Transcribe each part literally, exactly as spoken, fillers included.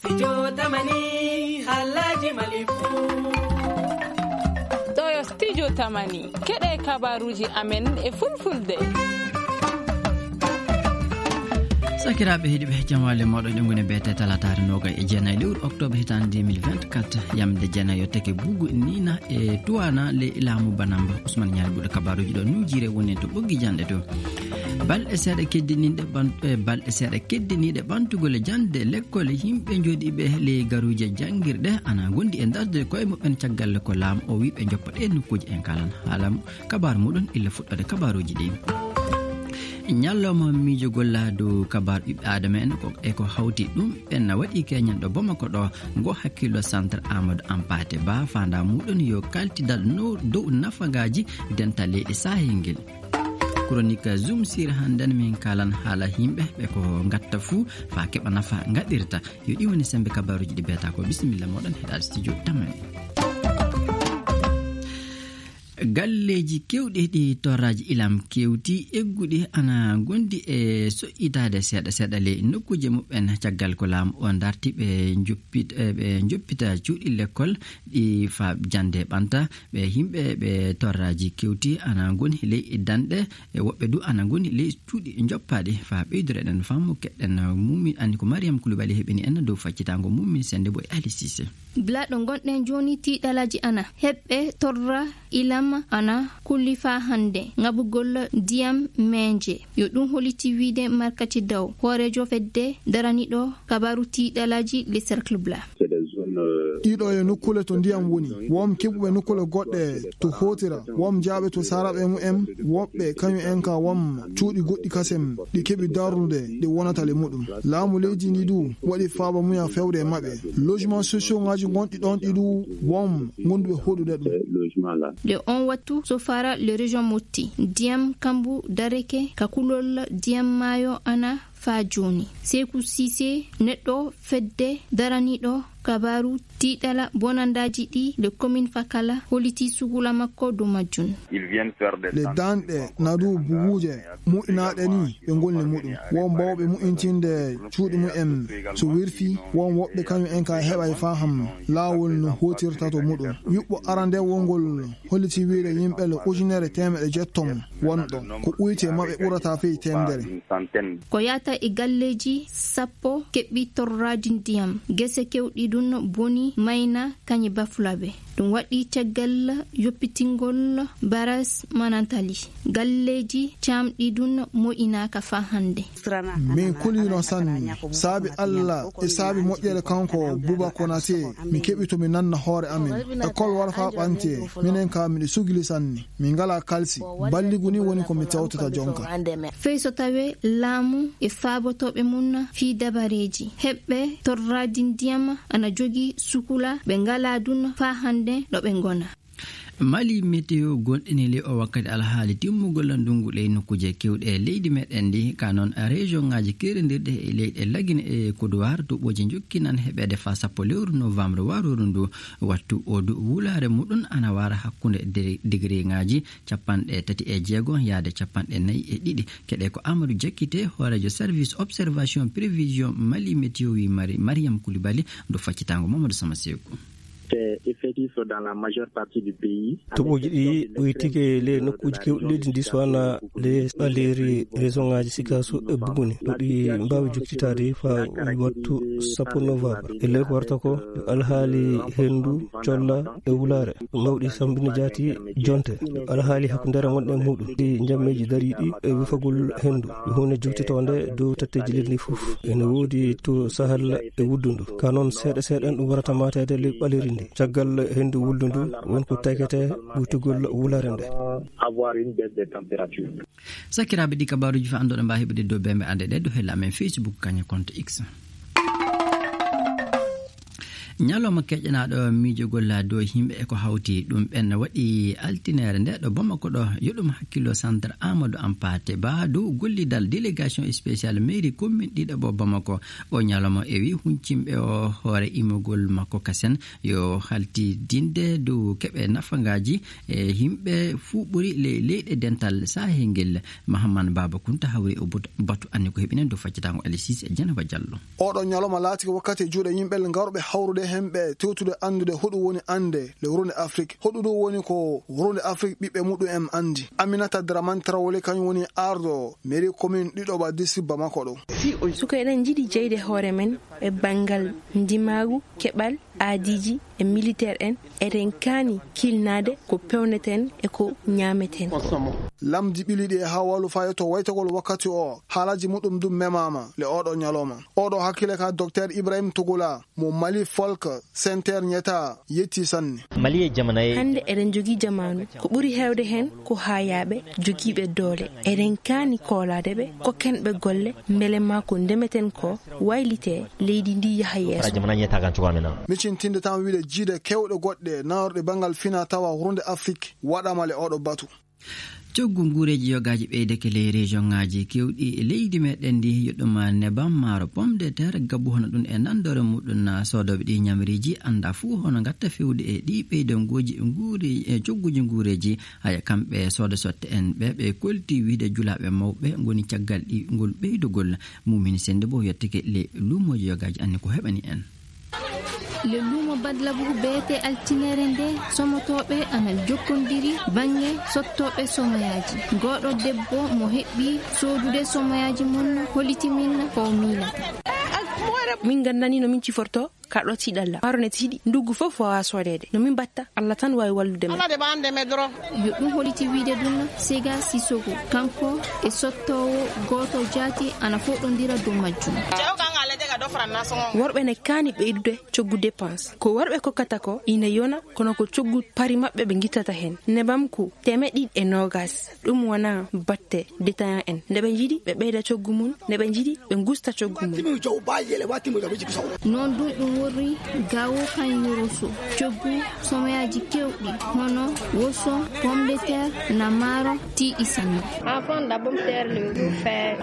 Studio Tamani, haalaaji Mali fuu. Ɗoo yo Studio Tamani, keɗee kabaaruuji amen e Fulfulde. Sakiraaɓe heɗiiɓe, jam waali e mooɗon. Eɗen ngoni e beete talaataare noogay e jeenay lewru oktoobar hitaande deux mille vingt-quatre, yamde jeenay yottake buugu Niina e Tuwaana ley laamu Banamba. Usman Ñaari buuɗe kabaaruuji ɗoo nuujiire woni to ɓoggi janɗe to. Balɗe seeɗa keddiniiɗe ɓan-, eh, balɗe seeɗa keddiniiɗe ɓantugol e jannde lekkol, yimɓe jooɗiiɓe ley garuuje janngirɗe ana ngondi e dardude koye muɓɓen caggal ko laamu o wii ɓe njoppa ɗee nokkuuje. En kaalan haala mu-, kabaaru muɗum illa fuɗɗoode kabaaruuji ɗii. Ñalawma miijugol laadu kabaaru ɓiɓɓe aadama en ko, e ko hawti ɗum ɓen na waɗi keñen ɗo Bamako ɗoo, ngo hakkillo Centre Amadou Hampâté Bâ, faandaa muɗum yo kaltidal no dow nafagaaji dental leyɗe Sahel ngel. Chronique Zoom Sir hannden min kaalan haala yimɓe ɓe ko ngatta fuu faa keɓa nafa ngaɗirta. Yo ɗii woni semmbe kabaaruuji ɗi beetaa ko. Bisimilla mooɗon heɗaade studio Tamani. Galleeji keewɗi ɗi torraaji ilam kewti egguɗi ana ngondi e soƴƴitaade seeɗa seeɗa ley nokkuuje muɓɓen caggal ko laamu o darti ɓe njoppit-, eh, ɓe njoppita cuuɗi lekkol ɗi faa jannde ɓanta. Ɓe yimɓe ɓe torraaji kewti ana ngoni ley danɗe, e woɓɓe du ana ngoni ley cuuɗi njoppaaɗi. Faa ɓeydude eɗen faamu keɗɗen mumi anndi ko Mariam Koulibaly heɓini en dow faccitaango mum min sennde boy Ali Cissé. Gila ɗo ngonɗen jooni, tiiɗalaaji ana heɓɓe torra ilam ana kulli faa hannde ŋabugol ndiyam meeje. Yo ɗum holliti wiide Markati Daw, hooreejo fedde daraniiɗo kabaaru tiiɗalaaji Le Cercle Blanc. Ɗiɗo e nokkuule to ndiyam woni, won keɓuɓe nokkuule goɗɗe to hootira, won jaaɓe to saaraɓe mumen, woɓɓe kañum en ka won cuuɗi goɗɗi kasen ɗi keɓi darnude ɗi wonata le muɗum. Laamu leydi ndi du waɗi faaba muya fewde e maɓɓe. Logement sociaux ŋaaji gonɗi ɗon ɗi du won gonduɓe hoɗude ɗum. Nde on wattu so fara le région Motti, ndiyam kambu dareke ka kulol ndiyam maayo ana faa jooni. Seeku Siise, neɗɗo fedde daraniiɗo kabaaru tiiɗala bonandaaji ɗi le commune Fakala, holliti sukula makko dow majjum. Le danɗe nadu buguuje mu'inaaɗe ni ɓe ngolli muɗum. Won bawɓe mu'intinde cuuɗi mumen so wirfi, won woɓɓe kañum en ka heɓay faham laawol no hootirta to muɗum. Yuɓɓo arande wongol holliti wiide yimɓe le ujunere teemeɗɗe jeettom won ɗon. Ko ɓuyte maɓɓe ɓurata fey teemedere. Ko yahata e galleeji sappo keɓɓi torraadi ndiyam. Gese kewɗi ɗun boni mayna kañe Bafulabe. Ɗum waɗi caggal yoppitingol baras Manantali. Galleeji caamɗi ɗun mo'inaaka faa hannde. Min kulino sanne. Saabi Alla e saabi moƴƴere kanko Buba Konate, mi keɓi to mi nanna hoore amen. Ekol wara faa ɓante, minen kaa miɗo sugli sanne. Min ngalaa kalsi. Balligu nii woni ko mi tewtata jonka. Fey so tawee laamu e faabotooɓe mum fii dabareeji heɓɓe torraadi ndiyam ana jogii sukula ɓe ngalaa ɗun faa hannde ɗo ɓe ngona. Mali Météo gonɗini ley oo wakkati alhaali timmugol ndunngu ley nokkuuje keewɗe e leydi meɗen ndi, ka noon région ŋaaji keerindirɗi e leyɗe Lagine e Kodowar, toɓooji njokkinan heɓeede faa sappo lewru novembre warooru ndu. Wattu oo du wulaare muɗum ana wara hakkunde de-, degereeŋaaji cappanɗe tati e jeego yaade cappanɗe nayi e ɗiɗi. Keɗee ko Amadou Diakité, hooreejo service observation prévision Mali Météo, wii Mari-, Mariam Koulibaly, dow faccitaango Mamadou Sama Seeku. C'est effectif dans la majeure partie du pays. Toɓooji ɗi ɓoytike ley nokkuuji keewɗi leydi ndi, so wanaa ley ɓaleeri région ŋaaji Sikaso e Buguni, ɗo ɗi mbaawi jokkitaade faa wattu sappo novembre. E ley ko warata ko, alhaali henndu, colla e wulaare, mawɗi sammbinde jaati jonte. Alhaali hakkundeere ngonɗen muɗum, ɗi njammeeji dariiɗi e wifagol henndu, ko huunde jokkitoonde dow tatteeji leydi ndi fof. Ene woodi to Sahel e Wuddundu. Ka noon seeɗa seeɗa en ɗum warata maateede ley ɓaleeri ndi. Caggal henndu Wuddundu won ko takete ɓuytugol wulaare nde. Avoir une baisse des températures. Sakiraaɓe, ɗi kabaaruuji faa annduɗon mbaawi heɓude dow bembe annde ɗe dow hella amen Facebook kañe compte X. Ñalawma keƴanaaɗo miijogol dow yimɓe e ko hawti ɗum ɓen waɗi altineere nde ɗo Bamako ɗo, yo ɗum hakkilo Centre Amadou Hampâté Bâ dow gollidal délégation spéciale mairie commune ɗiɗaɓo Bamako. O ñalawma ewi huncimɓe o hoore imogol makko kasen yo haltidinde dow keɓe nafangaaji e yimɓe fuu ɓuri ley leyɗe dental sahel ngel. Mahamman Baaba Kunta hawri o batu anni ko heɓinen dow faccitaango Alisis e Jenaba Jallo. Oɗo ñalawma laati ko wakkati e juuɗe yimɓe ngarɓe hawrude hemɓe tewtude anndude hoɗum woni annde le wuronde Afrik. Hoɗum ɗum woni ko wuronde Afrik ɓiɓɓe muɗum en anndi. Aminata Dramane Traoré kañum woni ardo mairie commune ɗiɗaɓa district Bamako ɗo. Suka eɗen njiɗi jeyde hoore men e banngal ndimaagu, keɓal, aadiiji e militeer en, eɗen kaani kiilnaade ko peewneten e ko ñaameten. Lamndi ɓili ɗi e haa walu faa yetto waytagol wakkati o, haalaaji muɗum dum memaama le oɗo ñalawma. Oɗo hakkile ka Dokteer Ibrahim Tugula mo Mali Folk Center ñeta yetti sanne. Mali e jamana e hannde eɗen njogii jamaanu ko ɓuri heewde heen ko haayaaɓe jogiiɓe doole. Eɗen kaani koolaade ɓe, kokken ɓe golle, mbele maa ko ndemeten ko waylitee, leydi ndii yaha yeeso. Jamana ñeetaakan cukaa men an. Micintinde tan wiide jiiɗe keewɗe goɗɗe nayorɗe banngal fina tawa wuronde Afrik waɗaama le oɗo batu. Coggu nguureeji yogaaji ɓeydake ley rejoŋaaji keewɗi e leydi meɗen ndi, yo ɗum nebam, maaro, pomme de terre, gabbu hono ɗum e nanndore muɗum. Soodooɓe ɗi ñamriiji annda fuu hono ngatta fewde e ɗi ɓeydangooji nguure-, e cogguuji nguureeji. Haya kamɓe sooda sotte en ɓe, ɓe kolti wiide julaaɓe mawɓe ngoni caggal ɗi ngol ɓeydugol. Mumin Sennde Bo yettike le luumooji yogaaji anni ko heɓani en. Le luumo Badlabu beete altinere nde, somotooɓe ana jokkondiri bannge sottooɓe somoyaaji. Ngooɗo debbo mo heɓɓi soodude somoyaaji mum holliti min ko o miilata. Min nganndani no min cifortoo. Kaɗo tiiɗalla. Maaro ne tiiɗi. Nduggu fof waawaa soodeede. No min mbaɗta? Alla tan waawi wallude men. Yo ɗum holliti wiide ɗum Sega Sissoko. Kanko e sottoowo gooto jaati ana fooɗondira dow majjum. Worɓe ne kaani ɓeydude coggu dépense. Ko worɓe kokkata ko ina yona, kono ko coggu pari maɓɓe ɓe ngittata heen. Nebam ko teemeɗɗe ɗiɗi e noogas. Ɗum wonaa batte détaillant en. Nde ɓe njiɗi, ɓe ɓeyda coggu mum. Nde ɓe njiɗi, ɓe ngusta coggu mum. Noon dum ɗum worri gawo kan yoroso. Coggu somoyaaji keewɗi, hono woso, pomme de terre, na maaro, tiiɗi sanne.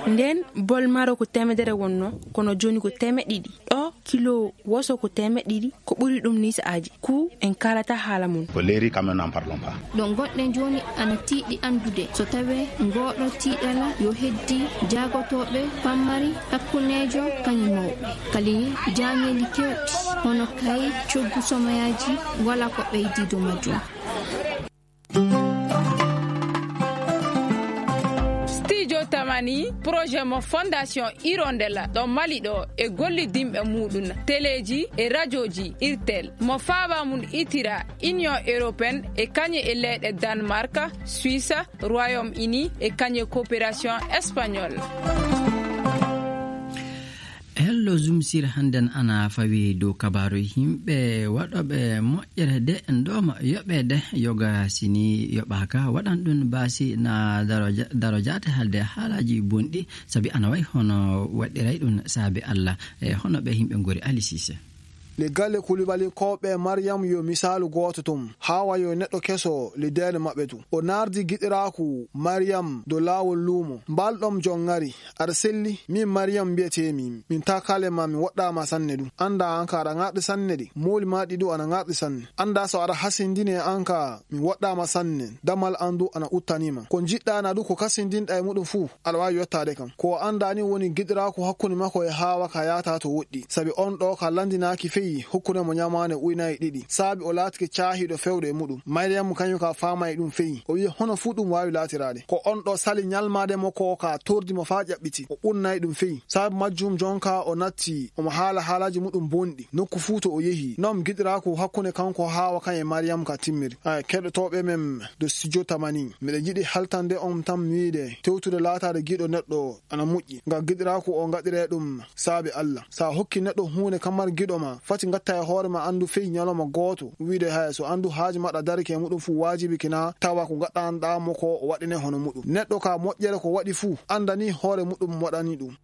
Ndeen, bol maaro ko teemedere wonnoo, kono jooni ko teemeɗɗe ɗiɗi. Ɗo kilo woso ko teemeɗɗe ɗiɗi, ko ɓuri ɗum nii sa'aaji. Ku en kaalata haala mum. Ko leeri, quand même, n'en parlons pas. Ɗo ngonɗen jooni ana tiiɗi anndude so tawee ngooɗo tiiɗalla yo heddi jaagotooɓe pammari hakkundeejo kañum mawɓe. Kali jaañeeli keewɗi, hono kay coggu somoyaaji, walaa ko ɓeydii dow majjum. Studio Tamani, projet mo Fondation Hirondella ɗo Mali ɗo e gollidinɓe muɗum teleeji e rajooji Irtel mo faaba mum itira Union Européenne e kañum e leyɗe Danemark, Suisse, Royaume-Uni e kañum e Coopération Espagnole. Hello Zoom Sir, hannden ana fawi dow kabaaru yimɓe waɗooɓe moƴƴere de ndooma yoɓeede yoga sini yoɓaaka waɗan ɗum baasi na daro ja-, daro jaate haalde haalaaji bonɗi sabi ana wayi hono waɗiray ɗum saabi Alla. E hono ɓe yimɓe ngori Ali Sise. Le galle Kulibalinkooɓe Mariyam yo misaalu gooto tun. Haawa yo neɗɗo keso le deene maɓɓe tun. O naardi giɗiraaku Mariyam dow laawol luumo. Mbaal ɗon jon ŋari. Aɗa selli? Min Mariyam mbiyetee-mi. Min taakaale maa, mi woɗɗaama sanne dun. Anndaa an kaa aɗa ŋarɗi sanne de. Mooli maa ɗi duu ana ŋarɗi sanne. Anndaa so aɗa hasindini e an kaa mi woɗɗaama sanne. Damal an duu ana uttanii ma. Ko njiɗɗaa na duu ko kasindinɗaa e muɗum fuu, aɗa waawi yottaade kam. Ko o anndaa nii woni giɗiraaku hakkunde makko e Haawa kaa yaataa to woɗɗi. Sabi on ɗoo kaa lanndinaaki feyi hokkunde mo ñamaande uynaaji ɗiɗi. Saabi o laatike caahiiɗo feewde e muɗum. Mariyam kañum kaa faamaay ɗum feyi. O wi'i hono fuu ɗum waawi laatiraade. Ko on ɗoo sali ñalmaade mo koo kaa tordi mo faa ƴaɓɓiti. O ɓunnaay ɗum feyi. Saabu majjum jon kaa o natti omo haala haalaaji muɗum bonɗi. Nokku fuu to o yehi. Non giɗiraaku hakkunde kanko Haawa kan e Mariyam kaa timmiri. Aya, keɗotooɓe men dow studio Tamani. Miɗo yiɗi haltande on tan wiide tewtude laataade giɗo neɗɗo ana moƴƴi. Ngam giɗiraaku o ngaɗiree ɗum saabi Alla. So a hokki neɗɗo huunde kamar giɗo maa, fati ngatta e hoore maa anndu fey ñalawma gooto. Wiide haya so anndu haaju maɗa darike e muɗum fuu waajibi kina tawa ko ngaɗanɗaa mo ko o waɗine hono muɗum. Neɗɗo ka moƴƴere ko waɗi fuu, anndanii hoore muɗum waɗani ɗum.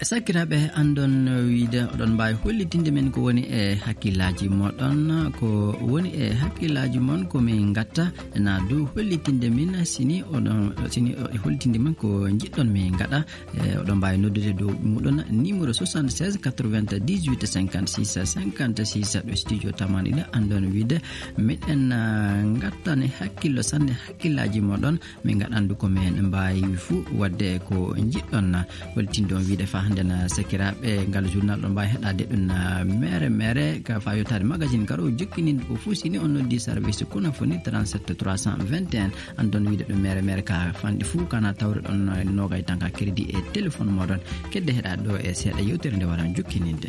Sakiraaɓe, anndon wiide oɗon mbaawi hollitinde min ko woni e hakkillaaji moɗon. Ko woni e hakkillaaji mon ko min ngatta, na dow hollitinde min sini oɗon, sini hollitinde min ko njiɗɗon min ngaɗa. E oɗon mbaawi noddude dow muɗon numéro soixante-seize quatre-vingt-dix-huit cinquante-six cinquante-six ɗo studio tamani ɗo. Anndon wiide miɗen, ah, ngattani hakkillo sanne hakkillaaji moɗon. Min ngaɗan du ko min mbaawi fuu waɗde ko njiɗɗon. Holtindon wiide faa hannden sakiraaɓe, ngal journal ɗon mbaawi heɗaade ɗum mere mere ka faa yottaade magazine garoowo jokkininde ko fuu. Si ni on noddi service kono foni trente-sept trois cent vingt et un, anndon wiide ɗum mere mere ka fanɗi fuu kana tawre ɗon noogay tan ka crédit e téléphone moɗon. Kedde heɗaade ɗo e seeɗa yewtere nde waran jokkininde.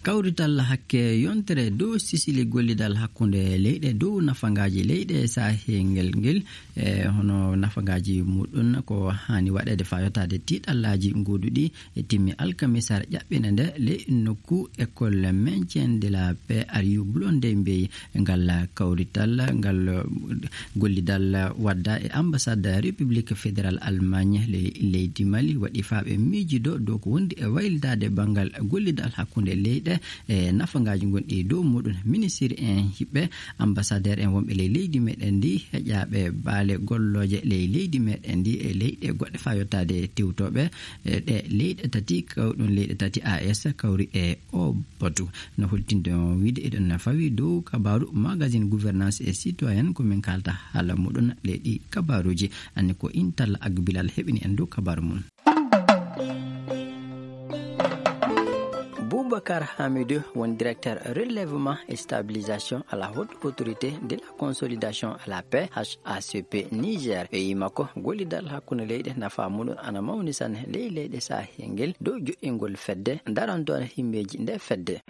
Kawrital hakke yontere dow sisili gollidal hakkunde leyɗe dow nafangaaji leyɗe sahel ngel ngel, e hono nafangaaji muɗum ko haani waɗeede faa yottaade tiiɗallaaji gooduɗi e timmi alkamisaare ƴaɓɓinde nde ley nokku école maintien de la paix Ariou Blondin Mbeyi. Ngal kawrital, ngal gollidal wadda e ambassade République Fédérale Allemagne ley leydi Mali waɗi faa ɓe miijido dow ko wondi e waylitaade banngal gollidal hakkunde leyɗe e nafangaaji gonɗi dow muɗum. Ministir en hiɓɓe ambassadeer en wonɓe ley leydi meɗen ndi, heƴaaɓe baale gollooje ley leydi meɗen ndi e leyɗe goɗɗe faa yottaade tewtooɓe, e ɗe leyɗe tati, kawɗum leyɗe tati A E S kawri e o batu. No holtinde on wiide eɗen na fawi dow kabaaru magazine gouvernance et citoyenne ko min kaalta haala muɗum ley ɗi kabaaruuji. Anni ko Intal Agbilal heɓini en dow kabaaru mum. Boubacar Hamidou won directeur relèvement et stabilisation à la haute autorité de la consolidation à la paix H A C P Niger. E yima ko gollidal hakkunde leyɗe nafa muɗum ana mawni sanne ley leyɗe sahel ngel dow joɗɗingol fedde darantoore himmeeji nde fedde.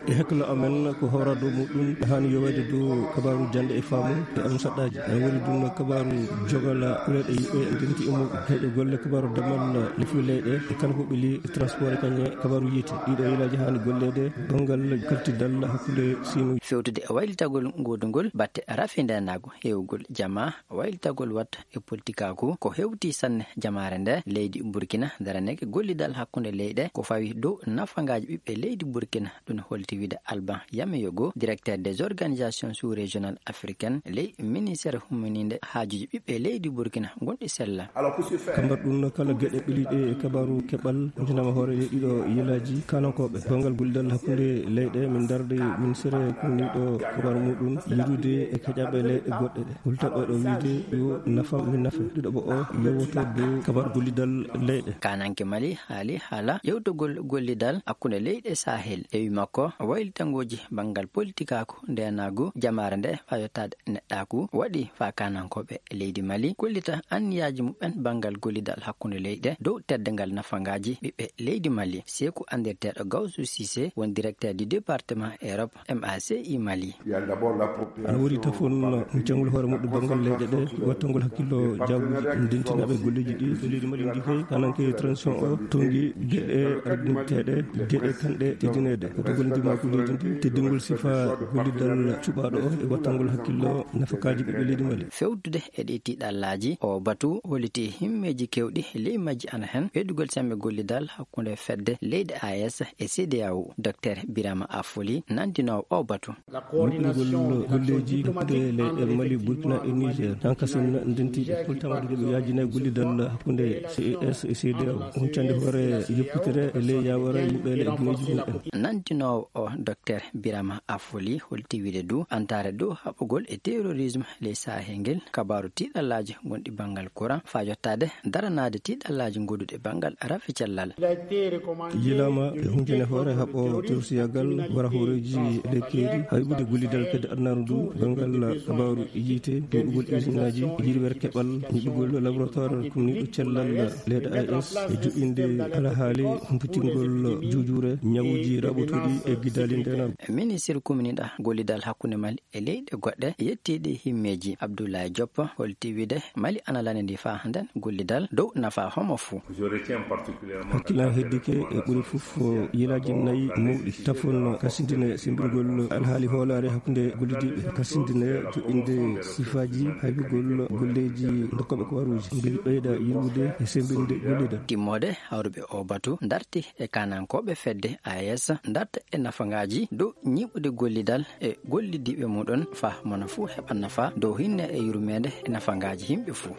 E hakkillo amen ko hooraado muɗum haani yoweede dow kabaaru jannde e faamu e almusaɗɗaaji. Ene woni ɗum kabaaru jogal kuleeɗe yimɓe ndenti e muɗum. Heƴo golle kabaaru damal lefuɓe leyɗe e kala ko ɓili e transport e kañe kabaaru yiite. Ɗiɗo yilaaji haani golleede banngal kaltidal hakkunde siimuuji. Fewtude e waylitagol ngoodugol batte rafi ndeenaagu heewgol jamaa waylitagol watta e politikaaku ko hewti sanne jamaare nde leydi Burkina daraneke gollidal hakkunde leyɗe ko fawi dow nafangaaji ɓiɓɓe leydi Burkina. Ɗum holti wiide Alban Yameyogo, directeur des organisations sous-régionales africaines ley ministère humminiinde haajuuji ɓiɓɓe leydi Burkina gonɗi sella. Kambar ɗum kala geɗe ɓiliɗe e kabaaru keɓal wontinama hoore ɗiɗo yilaaji kanankooɓe banngal gollidal hakkunde leyɗe min darde ministère kumniiɗo kabaaru muɗum yiɗude e keƴaɓe leyɗe goɗɗe ɗe. Hultaɓe ɗo wiide yo nafam min nafe. Ɗiɗo ɓo o yewoto dow kabar gollidal leyɗe. Kananke Mali haali haala yewtogol gollidal hakkunde leyɗe Sahel. E wi makko, waylitangooji banngal politikaaku, ndeenaagu, jamaare nde faa yottaade neɗɗaaku waɗi faa kanankooɓe leydi Mali kollita anniyaaji muɓɓen banngal gollidal hakkunde leyɗe dow teddungal nafangaaji ɓiɓɓe leydi Mali. Seeku anndirteeɗo Gawsu Siise won directeur du département Europe M A C I Mali. Ana woodi tafon muccangol hoore muɗɗo banngal leyɗe ɗe, wattangol hakkillo jaabuuji, ndentinaaɓe golleeji ɗi. So leydi Mali ndi kay, kananke transition o, tonngi geɗe ardinteeɗe, geɗe kanɗe teddineede. Ko togol ndimaagu leydi ndi, teddingol sifa gollidal cuɓaaɗo o e wattangol hakkillo nafakaaji ɓiɓɓe leydi Mali. Fewtude e ɗii tiiɗallaaji, oo batu holliti himmeeji keewɗi, ley majji ana hen ɓeydugol semmbe gollidal hakkunde fedde leyɗe A E S e C E D E A O. Docteur Birama Afoli nanndinoowo oo batu. Moƴƴingol golleeji hakkunde leyɗe Mali, Burkina e Niger, han kasen ndentiiɗe. Holtama ɗum ɓe yaajinay gollidal hakkunde C E S e C E D E A O, huccande hoore yoppitere e ley yaawara yimɓe e gineeji mum en. Nanndinoowo o, Docteur Birama Afoli, holti wiide du antaare dow haɓugol e terrorisme ley Sahel ngel, kabaaru tiiɗallaaji gonɗi banngal courant, faa yottaade daranaade tiiɗallaaji ngonduɗi banngal rafi cellal. Yilaama e huncane hoore haɓo tersiyagal wara hooreeji lekkeeri, haybude gollidal kadi adnaaru ndu, banngal kabaaru yiite, duɗugol isinaaji, yirwere keɓal, nyiɓugol laboratoire kumniiɗo cellal leyɗe A E S, e joɗɗinde alhaali humpitingol juujuure, ñawuuji raɓɓutuɗi e gidaali ndeenaagu. Ministir kumniiɗo gollidal hakkunde Mali e leyɗe goɗɗe yettiiɗi himmeeji, Abdoulaye Diop, holti wiide Mali ana lanndii faa hannden gollidal dow nafa homo fuu. Hakkilan heddike e ɓuri fof Ko yelaaji nayi mawɗi tafon kasindine sembingol alhaali hoolaare hakkunde gollidiiɓe, kasindine joɗɗinde sifaaji haybugol golleeji ndokkooɓe ko waruuji, ngel ɓeyda yirwude e sembinde gollidal. Timmoode hawruɓe oo batu darti e kaanankooɓe fedde A E S darta e nafangaaji dow ñiiɓude gollidal e gollidiiɓe muɗon faa mona fuu heɓa nafa dow hinne e yurmeende e nafangaaji yimɓe fuu.